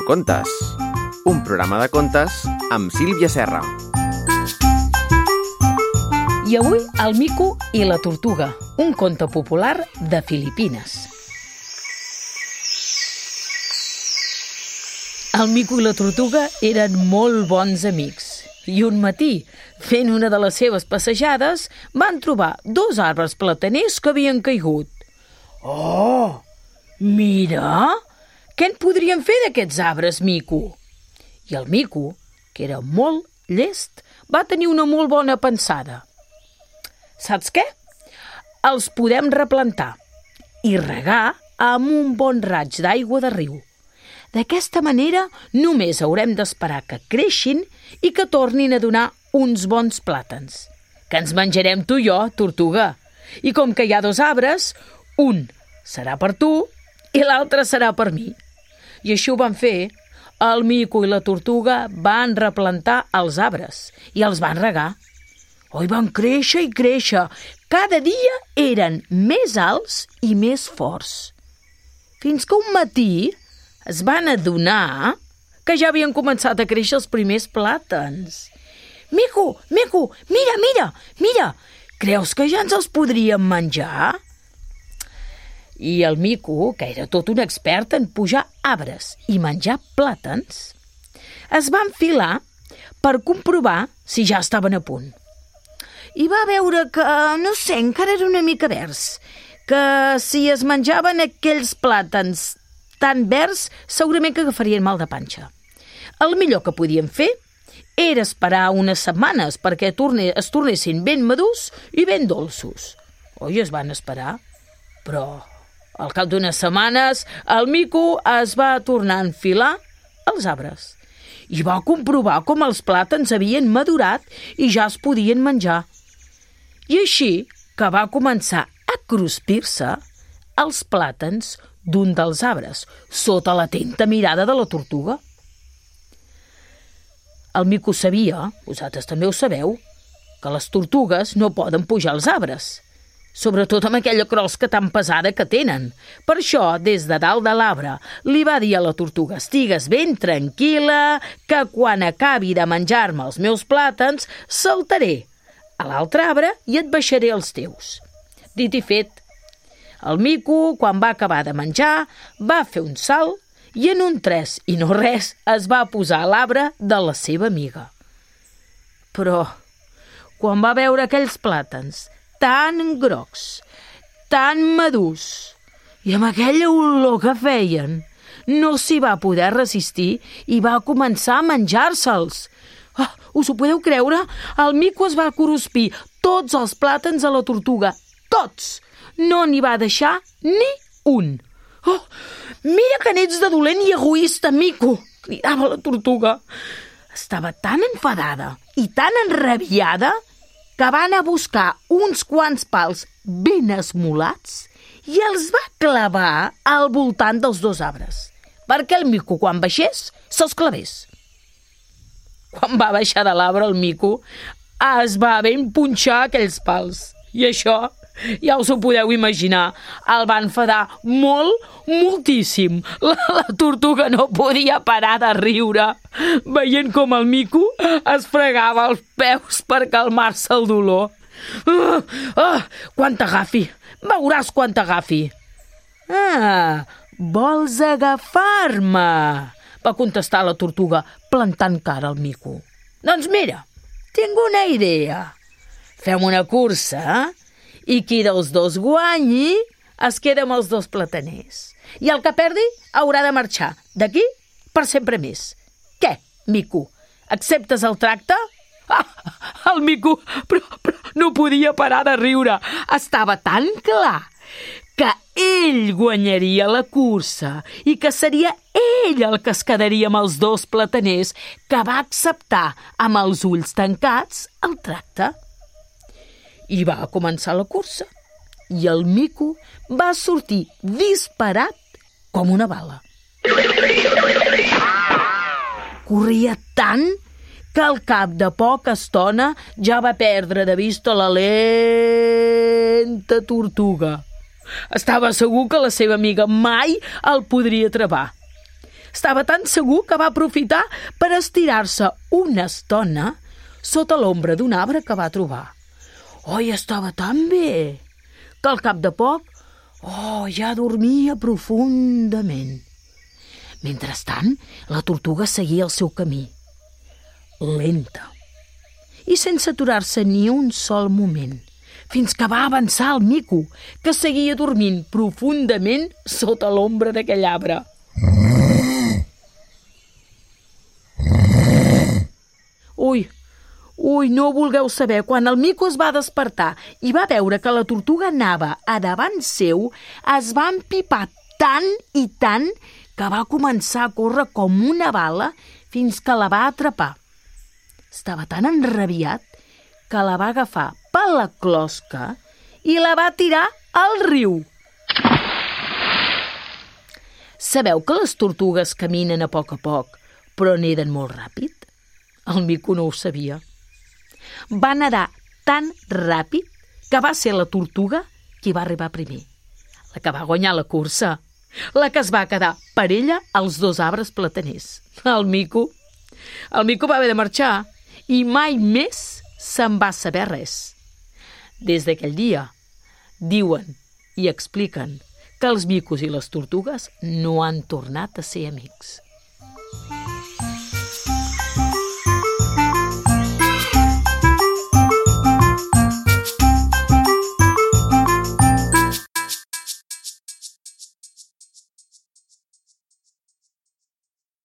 Contes, un programa de contes amb Sílvia Serra. I avui el mico i la tortuga, un conte popular de Filipines. El mico i la tortuga eren molt bons amics i un matí, fent una de les seves passejades, van trobar 2 arbres plataners que havien caigut. Oh, mira! Què en podríem fer d'aquests arbres, mico? I el mico, que era molt llest, va tenir una molt bona pensada. Saps què? Els podem replantar i regar amb un bon raig d'aigua de riu. D'aquesta manera només haurem d'esperar que creixin i que tornin a donar uns bons plàtans, que ens menjarem tu i jo, tortuga. I com que hi ha 2 arbres, un serà per tu i l'altre serà per mi. I així ho van fer. El mico i la tortuga van replantar els arbres i els van regar. I van créixer i créixer. Cada dia eren més alts i més forts. Fins que un matí es van adonar que ja havien començat a créixer els primers plàtans. Mico, mira! Creus que ja ens els podríem menjar? I el mico, que era tot un expert en pujar arbres i menjar plàtans, es va enfilar per comprovar si ja estaven a punt. I va veure que, encara era una mica verds, que si es menjaven aquells plàtans tan verds, segurament que agafarien mal de panxa. El millor que podien fer era esperar unes setmanes perquè es tornessin ben madurs i ben dolços. Es van esperar, però al cap d'unes setmanes el mico es va tornar a enfilar als arbres i va comprovar com els plàtans havien madurat i ja es podien menjar. I així que va començar a cruspir-se els plàtans d'un dels arbres, sota l'atenta mirada de la tortuga. El mico sabia, vosaltres també ho sabeu, que les tortugues no poden pujar als arbres, sobretot amb aquella crosca tan pesada que tenen. Per això, des de dalt de l'arbre, li va dir a la tortuga: estigues ben tranquil·la, que quan acabi de menjar-me els meus plàtans, saltaré a l'altre arbre i et baixaré els teus. Dit i fet, el mico, quan va acabar de menjar, va fer un salt i en un 3 i no res es va posar a l'arbre de la seva amiga. Però, quan va veure aquells plàtans tan grocs, tan madurs, i amb aquella olor que feien, no s'hi va poder resistir i va començar a menjar-se'ls. Us ho podeu creure? El mico es va cruspir tots els plàtans a la tortuga. Tots! No n'hi va deixar ni un. Mira que n'ets de dolent i egoista, mico! Cridava la tortuga. Estava tan enfadada i tan enrabiada que va anar a buscar uns quants pals ben esmolats i els va clavar al voltant dels 2 arbres, perquè el mico, quan baixés, se'ls clavés. Quan va baixar de l'arbre, el mico es va ben punxar aquells pals. I això, ja us ho podeu imaginar, el va enfadar moltíssim. La tortuga no podia parar de riure, veient com el mico es fregava els peus per calmar-se el dolor. Quan t'agafi! Veuràs quan t'agafi! Vols agafar-me? Va contestar la tortuga, plantant cara al mico. Doncs mira, tinc una idea. Fem una cursa, i qui dels 2 guanyi es queda amb els 2 plataners. I el que perdi haurà de marxar d'aquí per sempre més. Què, mico? Acceptes el tracte? El mico però no podia parar de riure. Estava tan clar que ell guanyaria la cursa i que seria ell el que es quedaria amb els 2 plataners, que va acceptar amb els ulls tancats el tracte. I va començar la cursa i el mico va sortir disparat com una bala. Corria tant que al cap de poca estona ja va perdre de vista la lenta tortuga. Estava segur que la seva amiga mai el podria atrapar. Estava tan segur que va aprofitar per estirar-se una estona sota l'ombra d'un arbre que va trobar. I estava tan bé que al cap de poc, ja dormia profundament. Mentrestant, la tortuga seguia el seu camí, lenta, i sense aturar-se ni un sol moment, fins que va avançar el mico, que seguia dormint profundament sota l'ombra d'aquell arbre. Ui, no vulgueu saber, quan el mico es va despertar i va veure que la tortuga anava a davant seu, es va empipar tant i tant que va començar a córrer com una bala fins que la va atrapar. Estava tan enrabiat que la va agafar per la closca i la va tirar al riu. Sabeu que les tortugues caminen a poc, però neden molt ràpid? El mico no ho sabia. Va nedar tan ràpid que va ser la tortuga qui va arribar primer, la que va guanyar la cursa, la que es va quedar per ella als 2 arbres plataners. El mico va haver de marxar i mai més se'n va saber res. Des d'aquell dia, diuen i expliquen que els micos i les tortugues no han tornat a ser amics.